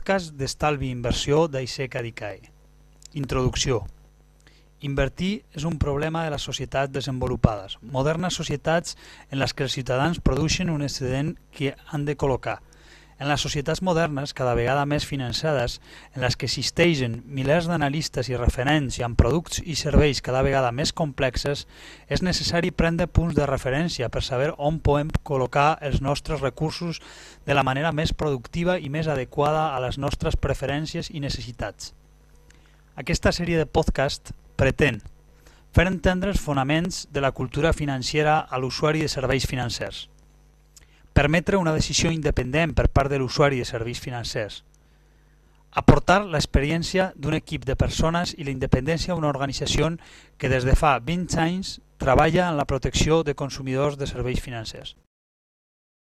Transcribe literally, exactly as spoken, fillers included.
podcast d'estalvi i inversió d'Aiseca d'Icae. Introducció. Invertir és un problema de les societats desenvolupades, modernes societats en les que els ciutadans produeixen un excedent que han de col·locar. En les societats modernes, cada vegada més finançades, en les que existeixen milers d'analistes i referents i amb productes i serveis cada vegada més complexes, és necessari prendre punts de referència per saber on podem col·locar els nostres recursos de la manera més productiva i més adequada a les nostres preferències i necessitats. Aquesta sèrie de podcast pretén fer entendre els fonaments de la cultura financera a l'usuari de serveis financers, permetre una decisió independent per part de l'usuari de serveis financers, aportar l'experiència d'un equip de persones i la independència d'una organització que des de fa vint anys treballa en la protecció de consumidors de serveis financers.